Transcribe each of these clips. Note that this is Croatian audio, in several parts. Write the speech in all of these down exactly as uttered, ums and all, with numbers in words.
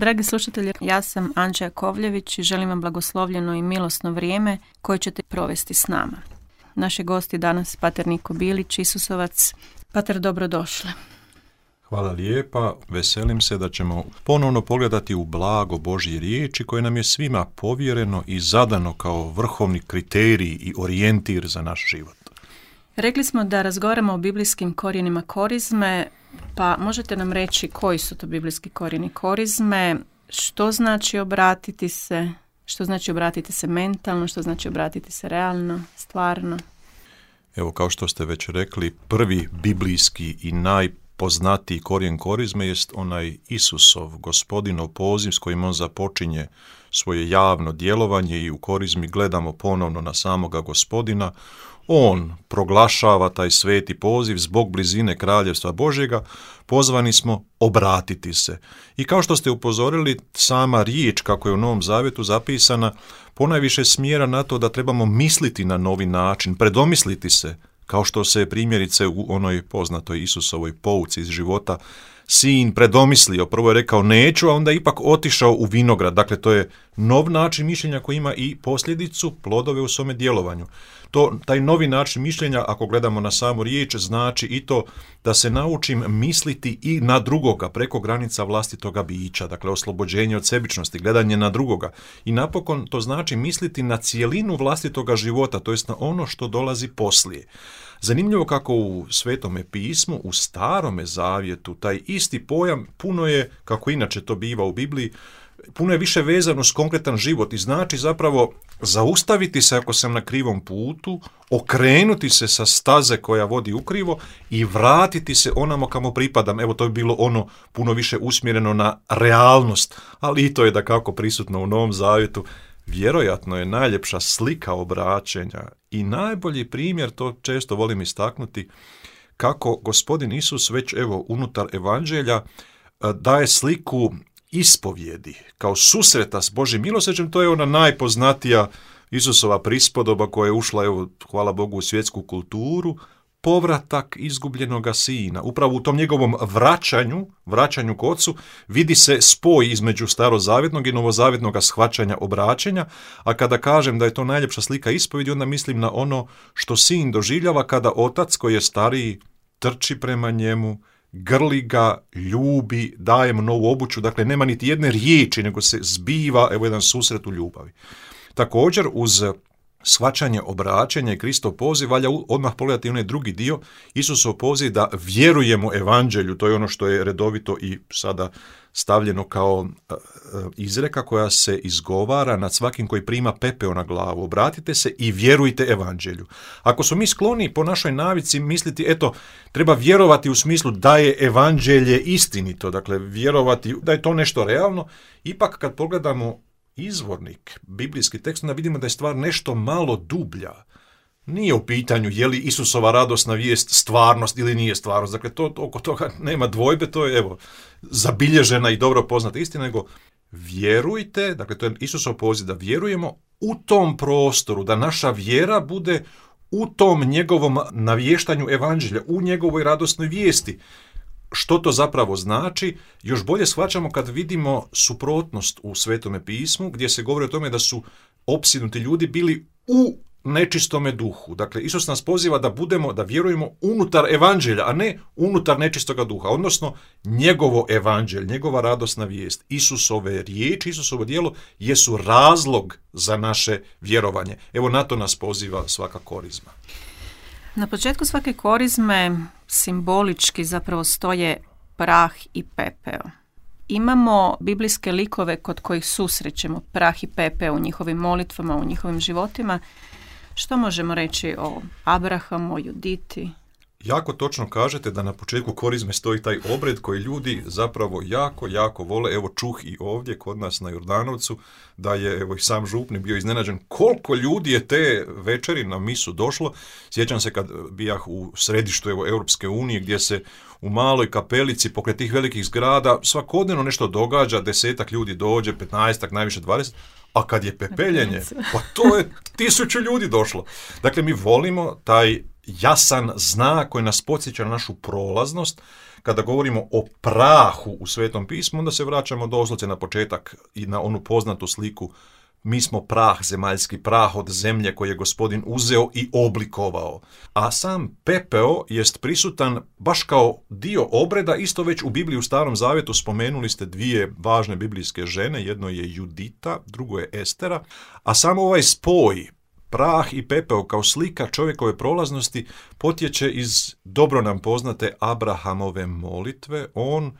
Dragi slušatelji, ja sam Anđa Jakovljević i želim vam blagoslovljeno i milosno vrijeme koje ćete provesti s nama. Naši gosti danas pater Niko Bilić, Isusovac. Pater, dobrodošli. Hvala lijepa, veselim se da ćemo ponovno pogledati u blago Božje riječi koje nam je svima povjereno i zadano kao vrhovni kriterij i orijentir za naš život. Rekli smo da razgovaramo o biblijskim korijenima korizme, pa možete nam reći koji su to biblijski korijeni korizme, što znači obratiti se, što znači obratiti se mentalno, što znači obratiti se realno, stvarno? Evo, kao što ste već rekli, prvi biblijski i najpoznatiji korijen korizme jest onaj Isusov, Gospodinov poziv s kojim on započinje svoje javno djelovanje i u korizmi gledamo ponovno na samoga Gospodina. On proglašava taj sveti poziv zbog blizine Kraljevstva Božjega, pozvani smo obratiti se. I kao što ste upozorili, sama riječ kako je u Novom Zavjetu zapisana ponajviše smjera na to da trebamo misliti na novi način, predomisliti se, kao što se primjerice u onoj poznatoj Isusovoj pouci iz života sin predomislio, prvo je rekao neću, a onda je ipak otišao u vinograd. Dakle, to je nov način mišljenja koji ima i posljedicu, plodove u svome djelovanju. To, taj novi način mišljenja, ako gledamo na samu riječ, znači i to da se naučim misliti i na drugoga, preko granica vlastitoga bića, dakle oslobođenje od sebičnosti, gledanje na drugoga. I napokon to znači misliti na cijelinu vlastitoga života, to jest na ono što dolazi poslije. Zanimljivo kako u Svetome pismu, u Starome Zavjetu, taj isti pojam puno je, kako inače to biva u Bibliji, puno je više vezano uz konkretan život i znači zapravo zaustaviti se ako sam na krivom putu, okrenuti se sa staze koja vodi ukrivo i vratiti se onamo kamo pripadam. Evo, to je bilo ono puno više usmjereno na realnost, ali i to je dakako prisutno u Novom Zavjetu. Vjerojatno je najljepša slika obraćenja i najbolji primjer, to često volim istaknuti, kako Gospodin Isus već evo unutar evanđelja daje sliku ispovjedi, kao susreta s Božjim milosrđem. To je ona najpoznatija Isusova prispodoba koja je ušla, evo, hvala Bogu, u svjetsku kulturu, povratak izgubljenoga sina. Upravo u tom njegovom vraćanju, vraćanju k ocu, vidi se spoj između starozavjetnog i novozavjetnog shvaćanja obraćenja, a kada kažem da je to najljepša slika ispovjedi, onda mislim na ono što sin doživljava kada otac koji je stariji trči prema njemu, grli ga, ljubi, daje mu novu obuću, dakle nema niti jedne riječi, nego se zbiva, evo, jedan susret u ljubavi. Također, uz shvaćanje obraćanja i Kristov poziv, valja odmah pogledati onaj drugi dio, Isusov poziv da vjerujemo evanđelju, to je ono što je redovito i sada stavljeno kao izreka koja se izgovara nad svakim koji prima pepeo na glavu. Obratite se i vjerujte evanđelju. Ako smo mi skloni po našoj navici misliti, eto, treba vjerovati u smislu da je evanđelje istinito, dakle vjerovati da je to nešto realno, ipak kad pogledamo izvornik, biblijski tekst, onda vidimo da je stvar nešto malo dublja. Nije u pitanju je li Isusova radosna vijest stvarnost ili nije stvarnost. Dakle, to, oko toga nema dvojbe, to je evo zabilježena i dobro poznata istina, nego vjerujte, dakle to je Isusov poziv da vjerujemo u tom prostoru, da naša vjera bude u tom njegovom navještanju evanđelja, u njegovoj radosnoj vijesti. Što to zapravo znači? Još bolje shvaćamo kad vidimo suprotnost u Svetome pismu, gdje se govori o tome da su opsjednuti ljudi bili u nečistome duhu. Dakle, Isus nas poziva da budemo, da vjerujemo unutar evanđelja, a ne unutar nečistoga duha, odnosno njegovo evanđelje, njegova radosna vijest, Isusove riječi, Isusovo djelo jesu razlog za naše vjerovanje. Evo, na to nas poziva svaka korizma. Na početku svake korizme simbolički zapravo stoje prah i pepeo. Imamo biblijske likove kod kojih susrećemo prah i pepeo u njihovim molitvama, u njihovim životima. Što možemo reći o Abrahamu, o Juditi? Jako točno kažete da na početku korizme stoji taj obred koji ljudi zapravo jako, jako vole. Evo, čuh i ovdje kod nas na Jordanovcu da je, evo, i sam župnik bio iznenađen koliko ljudi je te večeri na misu došlo. Sjećam se kad bijah u središtu, evo, Europske unije, gdje se u maloj kapelici pokraj tih velikih zgrada svakodnevno nešto događa, desetak ljudi dođe, petnaestak, najviše dvadeset, a kad je pepeljenje, pa to je tisuću ljudi došlo. Dakle, mi volimo taj jasan znak koji nas podsjeća na našu prolaznost, kada govorimo o prahu u Svetom pismu, onda se vraćamo doslovce na početak i na onu poznatu sliku. Mi smo prah, zemaljski prah od zemlje koje je Gospodin uzeo i oblikovao. A sam pepeo jest prisutan baš kao dio obreda, isto već u Bibliji u Starom Zavjetu spomenuli ste dvije važne biblijske žene, jedno je Judita, drugo je Estera, a samo ovaj spoj, prah i pepeo kao slika čovjekove prolaznosti, potječe iz dobro nam poznate Abrahamove molitve. On,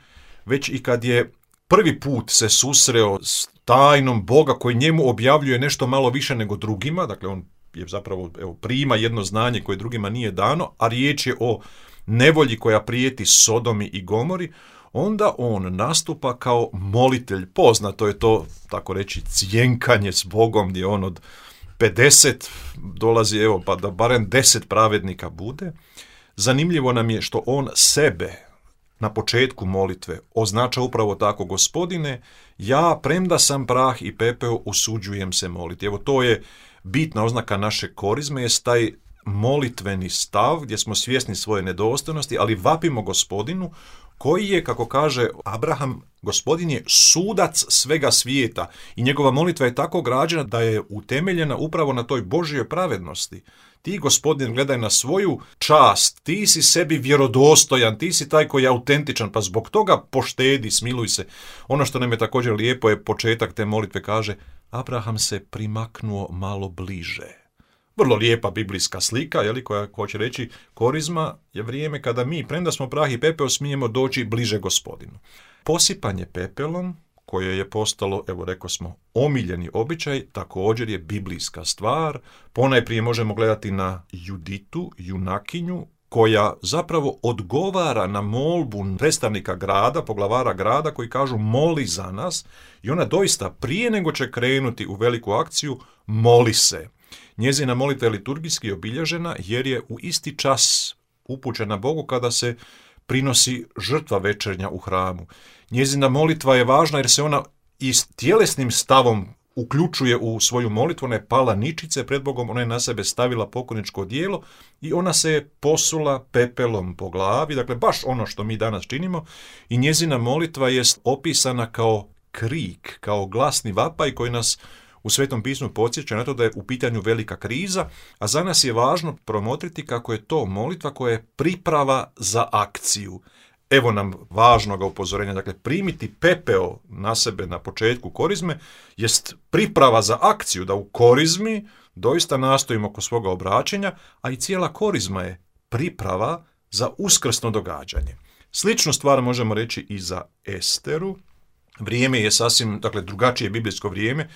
već i kad je prvi put se susreo s tajnom Boga koji njemu objavljuje nešto malo više nego drugima, dakle on je zapravo evo, prima jedno znanje koje drugima nije dano, a riječ je o nevolji koja prijeti Sodomi i Gomori, onda on nastupa kao molitelj. Poznato je to, tako reći, cjenkanje s Bogom, gdje on od pedeset dolazi, evo, pa da barem deset pravednika bude. Zanimljivo nam je što on sebe na početku molitve označa upravo tako: Gospodine, ja, premda sam prah i pepeo, usuđujem se moliti. Evo, to je bitna oznaka naše korizme, je taj molitveni stav gdje smo svjesni svoje nedostojnosti, ali vapimo Gospodinu koji je, kako kaže Abraham, Gospodin je sudac svega svijeta i njegova molitva je tako građena da je utemeljena upravo na toj Božjoj pravednosti. Ti, Gospodin, gledaj na svoju čast, ti si sebi vjerodostojan, ti si taj koji je autentičan, pa zbog toga poštedi, smiluj se. Ono što nam je također lijepo je početak te molitve, kaže: Abraham se primaknuo malo bliže. Vrlo lijepa biblijska slika, jeli, koja hoće reći korizma je vrijeme kada mi, premda smo prah i pepeo, smijemo doći bliže Gospodinu. Posipanje pepelom, koje je postalo, evo rekao smo, omiljeni običaj, također je biblijska stvar. Ponajprije možemo gledati na Juditu, junakinju, koja zapravo odgovara na molbu predstavnika grada, poglavara grada, koji kažu moli za nas, i ona doista prije nego će krenuti u veliku akciju, moli se. Njezina molitva je liturgijski obilježena jer je u isti čas upućena Bogu kada se prinosi žrtva večernja u hramu. Njezina molitva je važna jer se ona i s tjelesnim stavom uključuje u svoju molitvu. Ona je pala ničice pred Bogom, ona je na sebe stavila pokojničko dijelo i ona se je posula pepelom po glavi, dakle baš ono što mi danas činimo, i njezina molitva je opisana kao krik, kao glasni vapaj koji nas u Svetom pismu podsjeća na to da je u pitanju velika kriza, a za nas je važno promotriti kako je to molitva koja je priprava za akciju. Evo nam važnoga upozorenja, dakle primiti pepeo na sebe na početku korizme jest priprava za akciju, da u korizmi doista nastojimo oko svoga obraćenja, a i cijela korizma je priprava za uskrsno događanje. Sličnu stvar možemo reći i za Esteru. Vrijeme je sasvim, dakle, drugačije biblijsko vrijeme.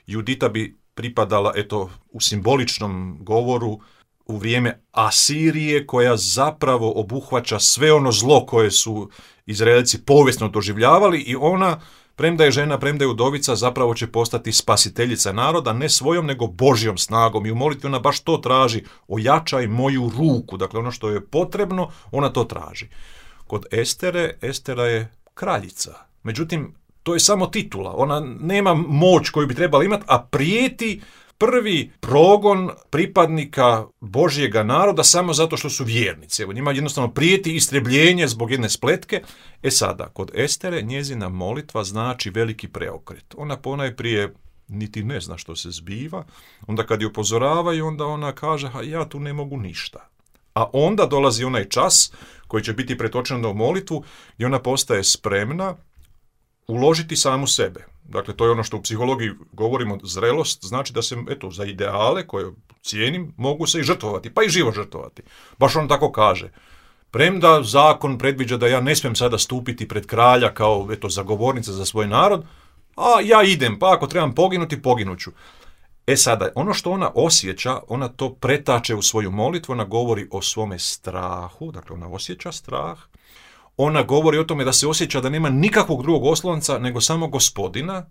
Judita bi pripadala, eto, u simboličnom govoru u vrijeme Asirije, koja zapravo obuhvaća sve ono zlo koje su Izraelci povijesno doživljavali, i ona, premda je žena, premda je udovica, zapravo će postati spasiteljica naroda, ne svojom nego Božjom snagom, i u molitvi ona baš to traži: ojačaj moju ruku, dakle ono što je potrebno, ona to traži. Kod Estere, Estera je kraljica, međutim, to je samo titula, ona nema moć koju bi trebala imati, a prijeti prvi progon pripadnika Božjega naroda samo zato što su vjernici. Evo, njima jednostavno prijeti istrebljenje zbog jedne spletke. E sada, kod Estere njezina molitva znači veliki preokret. Ona ponajprije niti ne zna što se zbiva, onda kad je upozoravaju, onda ona kaže: ha, ja tu ne mogu ništa. A onda dolazi onaj čas koji će biti pretočen u molitvu i ona postaje spremna uložiti samu sebe. Dakle, to je ono što u psihologiji govorimo, zrelost, znači da se, eto, za ideale koje cijenim, mogu se i žrtvovati, pa i život žrtvovati. Baš on tako kaže. Premda zakon predviđa da ja ne smijem sada stupiti pred kralja kao, eto, zagovornica za svoj narod, a ja idem, pa ako trebam poginuti, poginuću. E sada, ono što ona osjeća, ona to pretače u svoju molitvu, ona govori o svome strahu, dakle ona osjeća strah. Ona govori o tome da se osjeća da nema nikakvog drugog oslonca nego samo Gospodina.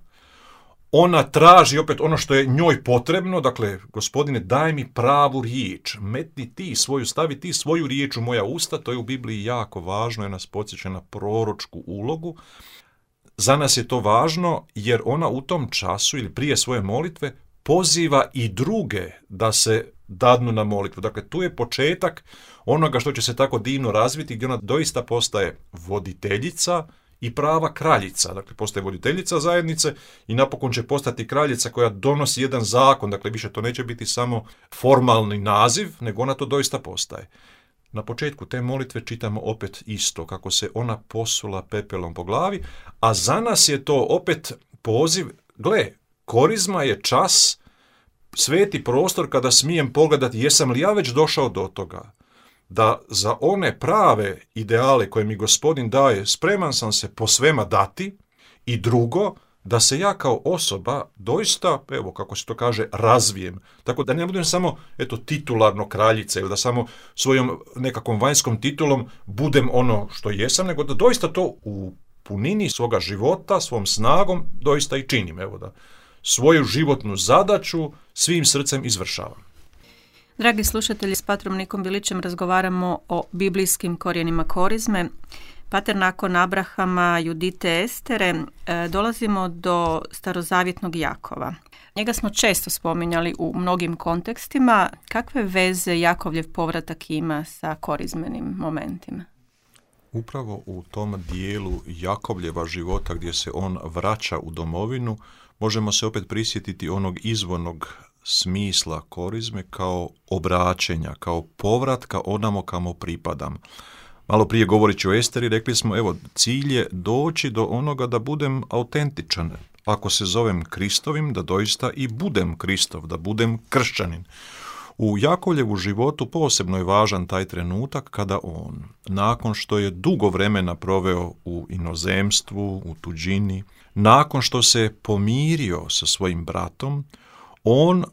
Ona traži opet ono što je njoj potrebno, dakle, Gospodine, daj mi pravu riječ, metni ti svoju, stavi ti svoju riječ u moja usta, to je u Bibliji jako važno, jer nas podsjeća na proročku ulogu. Za nas je to važno jer ona u tom času ili prije svoje molitve poziva i druge da se dadnu na molitvu. Dakle, tu je početak onoga što će se tako divno razviti, gdje ona doista postaje voditeljica i prava kraljica. Dakle, postaje voditeljica zajednice i napokon će postati kraljica koja donosi jedan zakon. Dakle, više to neće biti samo formalni naziv, nego ona to doista postaje. Na početku te molitve čitamo opet isto, kako se ona posula pepelom po glavi, a za nas je to opet poziv, gle, korizma je čas, sveti prostor kada smijem pogledati jesam li ja već došao do toga, da za one prave ideale koje mi Gospodin daje spreman sam se po svema dati, i drugo, da se ja kao osoba doista, evo kako se to kaže, razvijem. Tako da ne budem samo eto titularno kraljica ili da samo svojom nekakvom vanjskom titulom budem ono što jesam, nego da doista to u punini svoga života, svom snagom doista i činim. Evo da svoju životnu zadaću svim srcem izvršavam. Dragi slušatelji, s patrom Nikom Bilićem razgovaramo o biblijskim korijenima korizme. Pater, nakon Abrahama, Judite, Estere, dolazimo do starozavjetnog Jakova. Njega smo često spominjali u mnogim kontekstima. Kakve veze Jakovljev povratak ima sa korizmenim momentima? Upravo u tom dijelu Jakovljeva života gdje se on vraća u domovinu, možemo se opet prisjetiti onog izvornog smisla korizme kao obraćenja, kao povratka onamo kamo pripadam. Malo prije govoreći o Esteri, rekli smo, evo, cilj je doći do onoga da budem autentičan. Ako se zovem Kristovim, da doista i budem Kristov, da budem kršćanin. U Jakovljevu životu posebno je važan taj trenutak kada on, nakon što je dugo vremena proveo u inozemstvu, u tuđini, nakon što se pomirio sa svojim bratom, on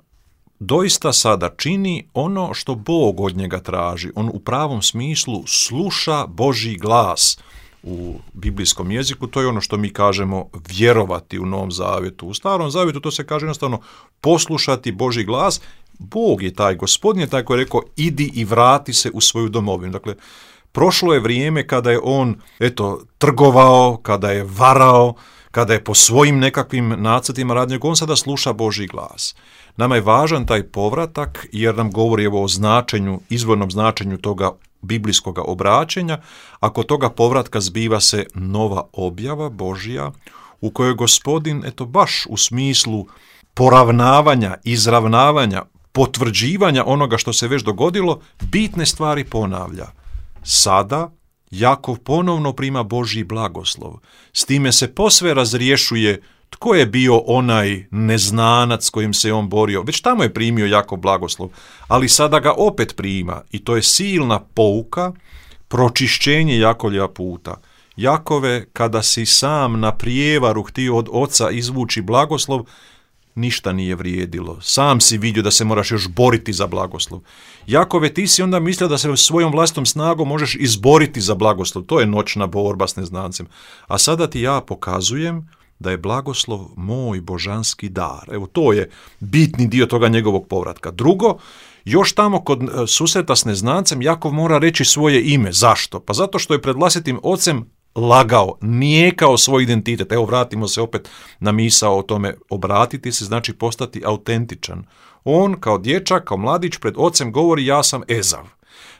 doista sada čini ono što Bog od njega traži. On u pravom smislu sluša Božji glas. U biblijskom jeziku to je ono što mi kažemo vjerovati u Novom Zavjetu. U Starom Zavjetu to se kaže jednostavno poslušati Božji glas. Bog je taj, Gospodin je taj koji je rekao idi i vrati se u svoju domovinu. Dakle, prošlo je vrijeme kada je on eto trgovao, kada je varao, kada je po svojim nekakvim nacrtima radio, on sada sluša Božji glas. Nama je važan taj povratak jer nam govori evo o značenju, izvornom značenju toga biblijskog obraćenja, a kod toga povratka zbiva se nova objava Božja u kojoj Gospodin, eto baš u smislu poravnavanja, izravnavanja, potvrđivanja onoga što se već dogodilo, bitne stvari ponavlja. Sada Jakov ponovno prima Božji blagoslov. S time se posve razriješuje tko je bio onaj neznanac s kojim se on borio. Već tamo je primio Jakov blagoslov, ali sada ga opet prima i to je silna pouka, pročišćenje Jakovljeva puta. Jakove, kada si sam na prijevaru htio od oca izvući blagoslov, ništa nije vrijedilo. Sam si vidio da se moraš još boriti za blagoslov. Jakove, ti si onda mislio da se svojom vlastnom snagom možeš izboriti za blagoslov. To je noćna borba s neznancem. A sada ti ja pokazujem da je blagoslov moj božanski dar. Evo, to je bitni dio toga njegovog povratka. Drugo, još tamo kod susreta s neznancem Jakov mora reći svoje ime. Zašto? Pa zato što je pred vlastitim ocem lagao, nijekao svoj identitet. Evo, vratimo se opet na misao o tome. Obratiti se znači postati autentičan. On kao dječak, kao mladić pred ocem govori ja sam Ezav.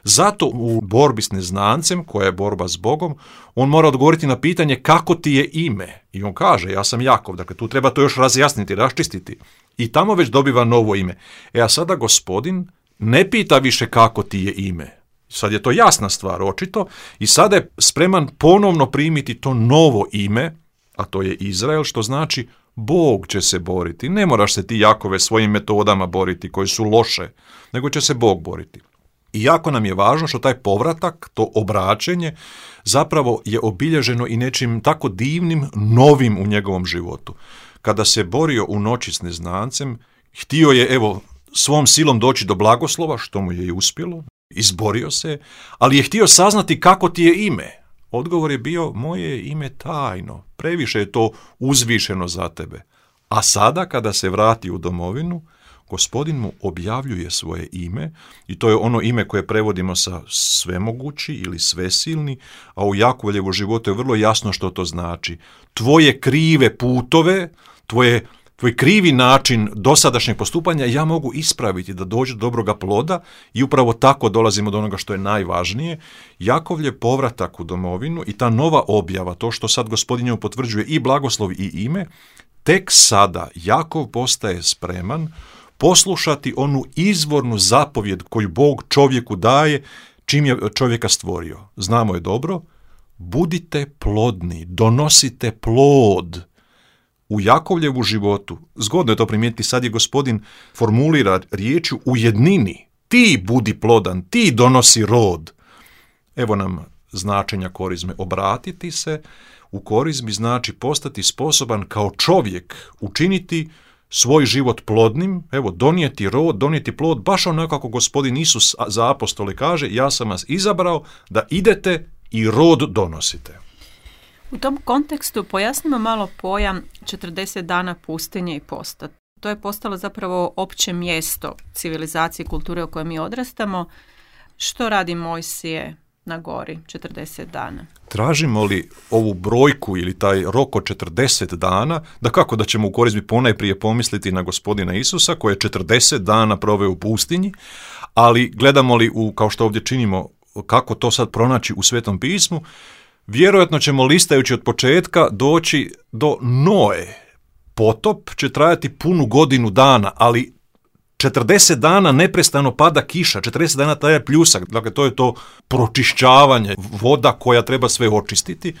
Zato u borbi s neznancem, koja je borba s Bogom, on mora odgovoriti na pitanje kako ti je ime. I on kaže ja sam Jakov. Dakle, tu treba to još razjasniti, raščistiti. I tamo već dobiva novo ime. E a sada Gospodin ne pita više kako ti je ime. Sad je to jasna stvar, očito, i sada je spreman ponovno primiti to novo ime, a to je Izrael, što znači Bog će se boriti. Ne moraš se ti, Jakove, svojim metodama boriti koje su loše, nego će se Bog boriti. I jako nam je važno što taj povratak, to obraćenje, zapravo je obilježeno i nečim tako divnim, novim u njegovom životu. Kada se borio u noći s neznancem, htio je, evo, svom silom doći do blagoslova, što mu je i uspjelo, izborio se, ali je htio saznati kako ti je ime. Odgovor je bio, moje je ime tajno, previše je to uzvišeno za tebe. A sada, kada se vrati u domovinu, Gospodin mu objavljuje svoje ime i to je ono ime koje prevodimo sa svemogući ili svesilni, a u Jakovljevu životu je vrlo jasno što to znači. Tvoje krive putove, tvoje tvoj krivi način dosadašnjeg postupanja ja mogu ispraviti da dođe do dobroga ploda i upravo tako dolazimo do onoga što je najvažnije. Jakovljev povratak u domovinu i ta nova objava, to što sad Gospodin njemu potvrđuje i blagoslov i ime, tek sada Jakov postaje spreman poslušati onu izvornu zapovjed koju Bog čovjeku daje čim je čovjeka stvorio. Znamo je dobro, budite plodni, donosite plod. U Jakovljevu životu, zgodno je to primijetiti, sad je Gospodin formulira riječju u jednini. Ti budi plodan, ti donosi rod. Evo nam značenja korizme. Obratiti se u korizmi znači postati sposoban kao čovjek učiniti svoj život plodnim, evo, donijeti rod, donijeti plod, baš onako kako Gospodin Isus za apostole kaže, ja sam vas izabrao da idete i rod donosite. U tom kontekstu pojasnimo malo pojam četrdeset dana pustinje i posta. To je postalo zapravo opće mjesto civilizacije i kulture u kojoj mi odrastamo. Što radi Mojsije na gori četrdeset dana? Tražimo li ovu brojku ili taj rok od četrdeset dana, da kako da ćemo u korizmi ponajprije pomisliti na Gospodina Isusa koji je četrdeset dana proveo u pustinji, ali gledamo li, u, kao što ovdje činimo, kako to sad pronaći u Svetom pismu, vjerojatno ćemo listajući od početka doći do Noe. Potop će trajati punu godinu dana, ali četrdeset dana neprestano pada kiša, četrdeset dana traje pljusak, dakle to je to pročišćavanje, voda koja treba sve očistiti,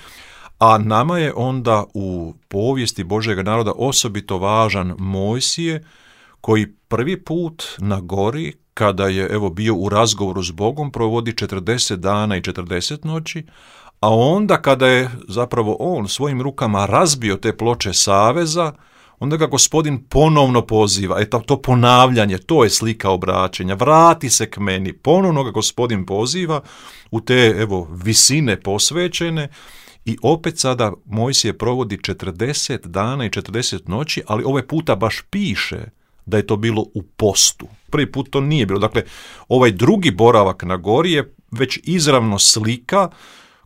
a nama je onda u povijesti Božjega naroda osobito važan Mojsije, koji prvi put na gori, kada je evo bio u razgovoru s Bogom, provodi četrdeset dana i četrdeset noći, a onda kada je zapravo on svojim rukama razbio te ploče saveza, onda ga Gospodin ponovno poziva. Eto, to ponavljanje, to je slika obraćenja. Vrati se k meni. Ponovno ga Gospodin poziva u te evo visine posvećene i opet sada Mojsije provodi četrdeset dana i četrdeset noći, ali ovaj puta baš piše da je to bilo u postu. Prvi put to nije bilo. Dakle, ovaj drugi boravak na gori je već izravno slika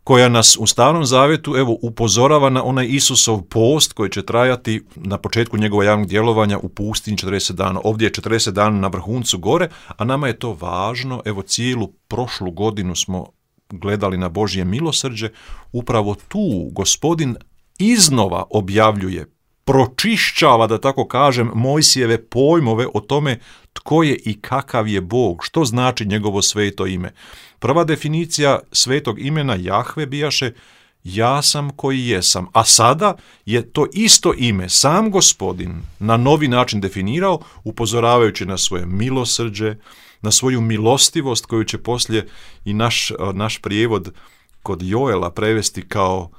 koja nas u Starom Zavjetu evo upozorava na onaj Isusov post koji će trajati na početku njegova javnog djelovanja u pustinji četrdeset dana. Ovdje je četrdeset dana na vrhuncu gore, a nama je to važno. Evo cijelu prošlu godinu smo gledali na Božje milosrđe. Upravo tu Gospodin iznova objavljuje, pročišćava, da tako kažem, Mojsijeve pojmove o tome tko je i kakav je Bog, što znači njegovo sveto ime. Prva definicija svetog imena Jahve bijaše ja sam koji jesam, a sada je to isto ime sam Gospodin na novi način definirao, upozoravajući na svoje milosrđe, na svoju milostivost koju će poslije i naš, naš prijevod kod Joela prevesti kao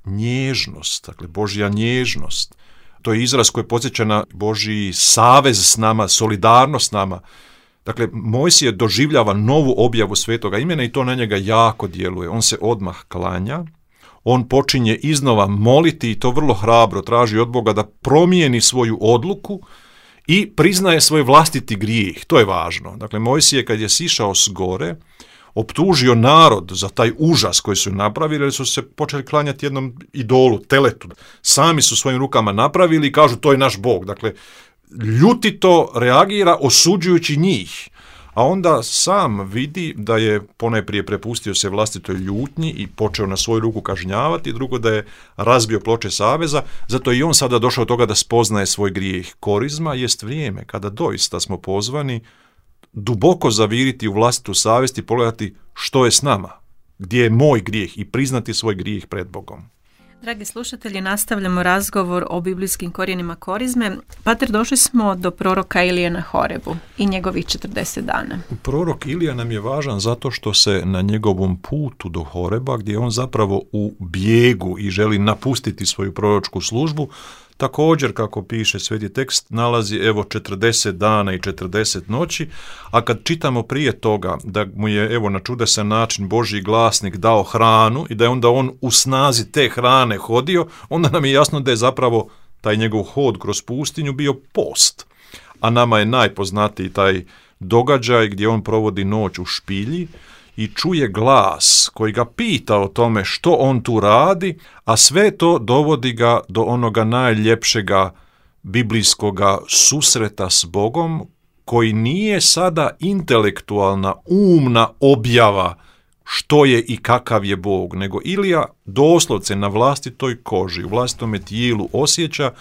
nježnost, dakle Božja nježnost. To je izraz koji podsjeća na Božji savez s nama, solidarnost s nama. Dakle, Mojsije doživljava novu objavu svetoga imena i to na njega jako djeluje. On se odmah klanja, on počinje iznova moliti i to vrlo hrabro traži od Boga da promijeni svoju odluku i priznaje svoj vlastiti grijeh. To je važno. Dakle, Mojsije kad je sišao s gore, optužio narod za taj užas koji su napravili, jer su se počeli klanjati jednom idolu, teletu. Sami su svojim rukama napravili i kažu to je naš Bog. Dakle, ljutito reagira osuđujući njih. A onda sam vidi da je ponajprije prepustio se vlastitoj ljutnji i počeo na svoju ruku kažnjavati, drugo da je razbio ploče saveza, zato je i on sada došao do toga da spoznaje svoj grijeh. Korizma jest vrijeme kada doista smo pozvani duboko zaviriti u vlastitu savjest i pogledati što je s nama, gdje je moj grijeh i priznati svoj grijeh pred Bogom. Dragi slušatelji, nastavljamo razgovor o biblijskim korijenima korizme. Pater, došli smo do proroka Ilije na Horebu i njegovih četrdeset dana. Prorok Ilija nam je važan zato što se na njegovom putu do Horeba, gdje on zapravo u bijegu i želi napustiti svoju proročku službu, također, kako piše sveti tekst, nalazi evo četrdeset dana i četrdeset noći, a kad čitamo prije toga da mu je evo na čudesan način Božji glasnik dao hranu i da je onda on u snazi te hrane hodio, onda nam je jasno da je zapravo taj njegov hod kroz pustinju bio post. A nama je najpoznatiji taj događaj gdje on provodi noć u špilji i čuje glas koji ga pita o tome što on tu radi, a sve to dovodi ga do onoga najljepšega biblijskoga susreta s Bogom, koji nije sada intelektualna, umna objava što je i kakav je Bog, nego Ilija doslovce na vlastitoj koži, u vlastitome tijelu osjeća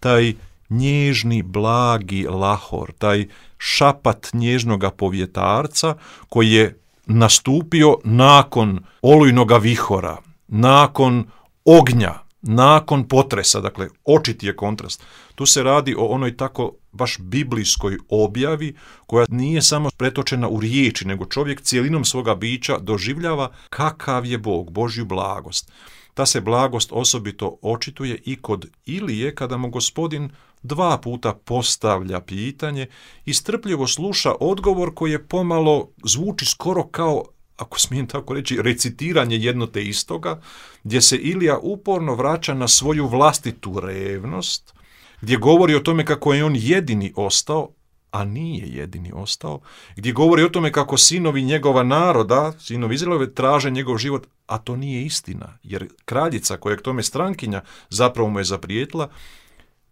taj nježni, blagi lahor, taj šapat nježnoga povjetarca koji je nastupio nakon olujnoga vihora, nakon ognja, nakon potresa, dakle očiti je kontrast. Tu se radi o onoj tako baš biblijskoj objavi koja nije samo pretočena u riječi, nego čovjek cijelinom svoga bića doživljava kakav je Bog, Božju blagost. Ta se blagost osobito očituje i kod Ilije kada mu Gospodin dva puta postavlja pitanje i strpljivo sluša odgovor koji je pomalo zvuči skoro kao, ako smijem tako reći, recitiranje jedno te istoga, gdje se Ilija uporno vraća na svoju vlastitu revnost, gdje govori o tome kako je on jedini ostao, a nije jedini ostao, gdje govori o tome kako sinovi njegova naroda, sinovi Izraelove, traže njegov život, a to nije istina, jer kraljica koja je k tome strankinja zapravo mu je zaprijetila.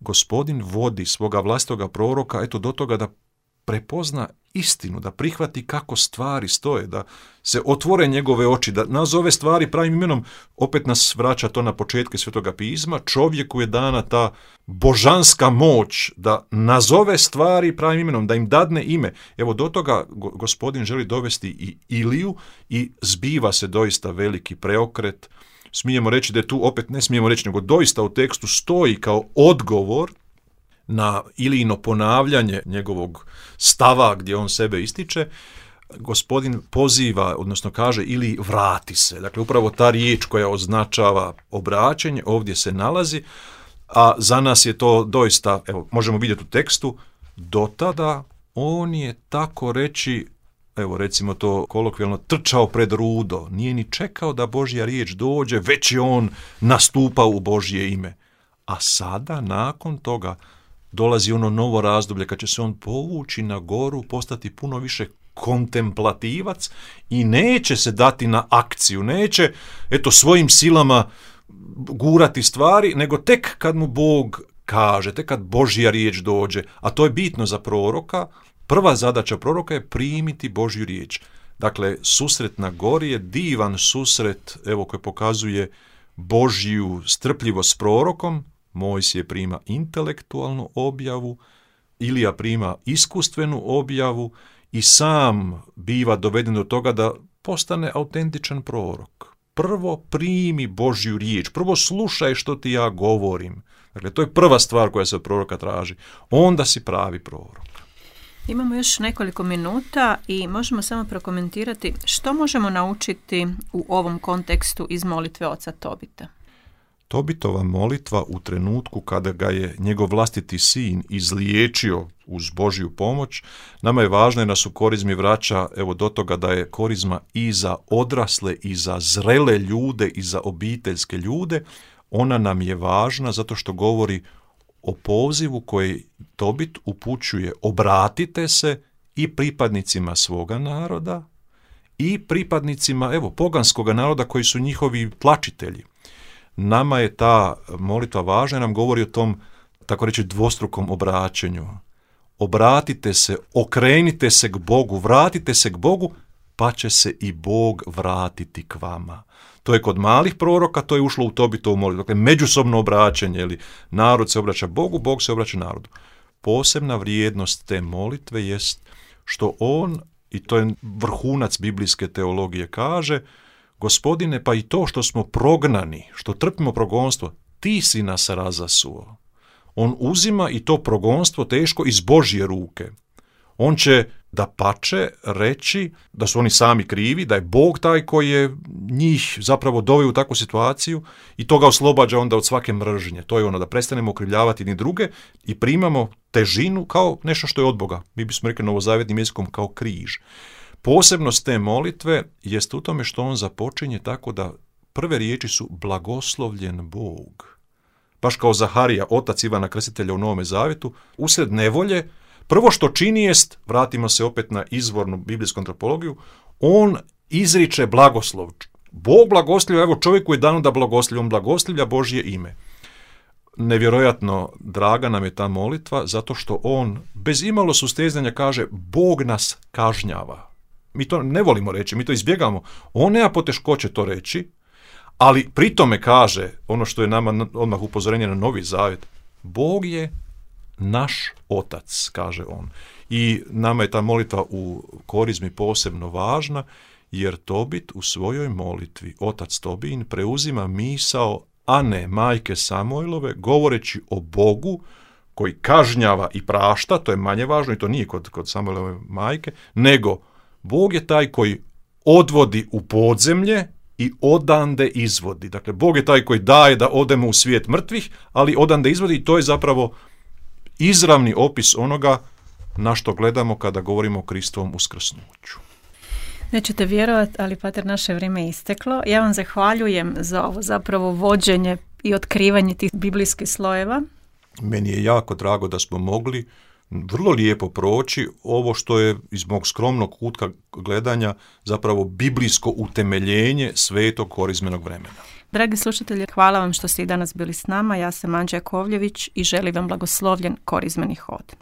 Gospodin vodi svoga vlastitoga proroka eto do toga da prepozna istinu, da prihvati kako stvari stoje, da se otvore njegove oči, da nazove stvari pravim imenom. Opet nas vraća to na početke Svetoga pisma. Čovjeku je dana ta božanska moć da nazove stvari pravim imenom, da im dadne ime. Evo do toga Gospodin želi dovesti i Iliju i zbiva se doista veliki preokret. Smijemo reći da je tu, opet ne smijemo reći, nego doista u tekstu stoji kao odgovor na Ilijino ponavljanje njegovog stava gdje on sebe ističe. Gospodin poziva, odnosno kaže Iliji vrati se. Dakle, upravo ta riječ koja označava obraćanje ovdje se nalazi, a za nas je to doista, evo, možemo vidjeti u tekstu, do tada on je tako reći, evo recimo to kolokvijalno, trčao pred rudo, nije ni čekao da Božja riječ dođe, već je on nastupao u Božje ime. A sada, nakon toga, dolazi ono novo razdoblje kad će se on povući na goru, postati puno više kontemplativac i neće se dati na akciju, neće eto svojim silama gurati stvari, nego tek kad mu Bog kaže, tek kad Božja riječ dođe, a to je bitno za proroka. Prva zadaća proroka je primiti Božju riječ. Dakle, susret na gori je divan susret, evo, koji pokazuje Božju strpljivost s prorokom. Mojsije prima intelektualnu objavu, Ilija prima iskustvenu objavu i sam biva doveden do toga da postane autentičan prorok. Prvo primi Božju riječ, prvo slušaj što ti ja govorim. Dakle, to je prva stvar koja se od proroka traži. Onda si pravi prorok. Imamo još nekoliko minuta i možemo samo prokomentirati što možemo naučiti u ovom kontekstu iz molitve oca Tobita. Tobitova molitva u trenutku kada ga je njegov vlastiti sin izliječio uz Božju pomoć, nama je važno jer nas u korizmi vraća evo do toga da je korizma i za odrasle i za zrele ljude i za obiteljske ljude. Ona nam je važna zato što govori o pozivu koji Tobit upućuje: obratite se i pripadnicima svoga naroda i pripadnicima evo poganskoga naroda koji su njihovi tlačitelji. Nama je ta molitva važna, nam govori o tom, tako reći, dvostrukom obraćanju. Obratite se, okrenite se k Bogu, vratite se k Bogu, pa će se i Bog vratiti k vama. To je kod malih proroka, to je ušlo u Tobitovu molitvu. Dakle, međusobno obraćanje, ili narod se obraća Bogu, Bog se obraća narodu. Posebna vrijednost te molitve jest što on, i to je vrhunac biblijske teologije, kaže: Gospodine, pa i to što smo prognani, što trpimo progonstvo, ti si nas razasuo. On uzima i to progonstvo teško iz Božje ruke. On će dapače reći da su oni sami krivi, da je Bog taj koji je njih zapravo doveo u takvu situaciju i to ga oslobađa onda od svake mržnje. To je ono da prestanemo okrivljavati ni druge i primamo težinu kao nešto što je od Boga. Mi bismo rekli novozavjetnim jezikom kao križ. Posebnost te molitve jest u tome što on započinje tako da prve riječi su blagoslovljen Bog. Baš kao Zaharija, otac Ivana Krstitelja u Novome Zavjetu, usred nevolje, prvo što čini jest, vratimo se opet na izvornu biblijsku antropologiju, on izriče blagoslov. Bog blagoslivlja, evo čovjeku je dano da blagoslivlja, on blagoslivlja Božje ime. nevjerojatno draga nam je ta molitva zato što on bez imalo sustezanja kaže Bog nas kažnjava. Mi to ne volimo reći, mi to izbjegamo. On nema poteškoće to reći, ali pri tome kaže ono što je nama odmah upozorenje na Novi Zavjet. Bog je naš otac, kaže on. I nama je ta molitva u korizmi posebno važna, jer Tobit u svojoj molitvi, otac Tobin, preuzima misao Ane, majke Samuilove, govoreći o Bogu koji kažnjava i prašta, to je manje važno i to nije kod, kod Samuilove majke, nego Bog je taj koji odvodi u podzemlje i odande izvodi. Dakle, Bog je taj koji daje da odemo u svijet mrtvih, ali odande izvodi i to je zapravo izravni opis onoga na što gledamo kada govorimo o Kristovom uskrsnuću. Nećete vjerovati, ali pater, naše vrijeme je isteklo. Ja vam zahvaljujem za ovo zapravo vođenje i otkrivanje tih biblijskih slojeva. Meni je jako drago da smo mogli vrlo lijepo proći ovo što je iz mog skromnog kutka gledanja zapravo biblijsko utemeljenje svetog korizmenog vremena. Dragi slušatelji, hvala vam što ste i danas bili s nama. Ja sam Anđa Jakovljević i želim vam blagoslovljen korizmeni hod.